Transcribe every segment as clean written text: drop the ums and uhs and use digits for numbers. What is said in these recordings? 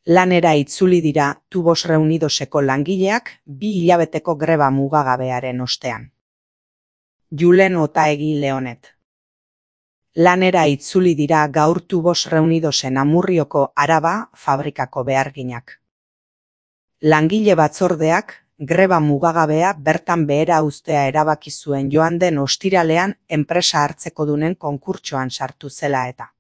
Lanera itzuli dira Tubos Reunidoseko langileak 2 hilabeteko greba mugagabearen ostean. Julen Otaegi Leonet. Lanera itzuli dira gaur Tubos Reunidosen Amurrioko Araba fabrikako beharginak. Langile batzordeak greba mugagabea bertan behera uztea erabaki zuen joan den ostiralean enpresa hartzekodunen konkurtsoan sartu zela eta.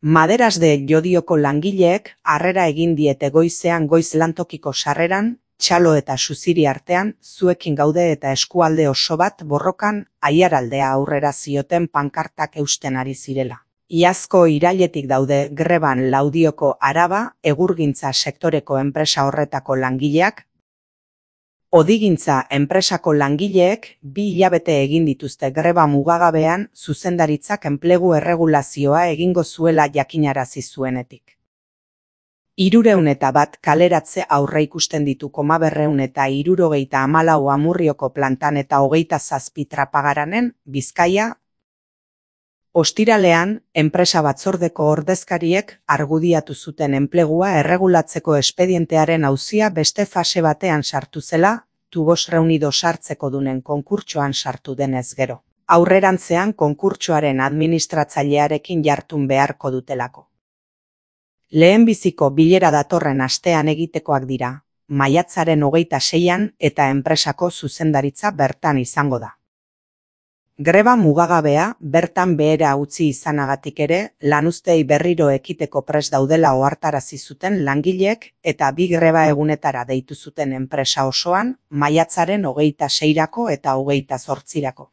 Maderas de Llodioko langileek harrera egin diete goizean goiz lantokiko sarreran, txalo eta suziri artean, zuekin gaude eta eskualde oso bat borrokan Aiaraldea aurrera zioten pankartak eusten ari zirela. Iazko irailetik daude greban Laudioko Araba egurgintza sektoreko enpresa horretako langileak. Odigintza enpresako langileek 2 hilabete egin dituzte greba mugagabean zuzendaritzak enplegu erregulazioa egingo zuela jakinarazi zuenetik. 301 kaleratze aurreikusten ditu 274 Amurrioko plantan eta 27 Trapagaranen, Bizkaia. Ostiralean, enpresa batzordeko ordezkariek argudiatu zuten enplegua erregulatzeko espedientearen auzia beste fase batean sartu zela, Tubos Reunidos hartzekodunen konkurtsoan sartu denez gero. Aurrerantzean konkurtsoaren administratzailearekin jartun beharko dutelako. Lehenbiziko bilera datorren astean egitekoak dira, maiatzaren 26an eta enpresako zuzendaritza bertan izango da. Greba mugagabea bertan behera utzi izanagatik ere, lanuzteei berriro ekiteko prest daudela ohartarazi zuten langileek eta 2 greba egunetara deitu zuten enpresa osoan, maiatzaren 26rako eta 28rako.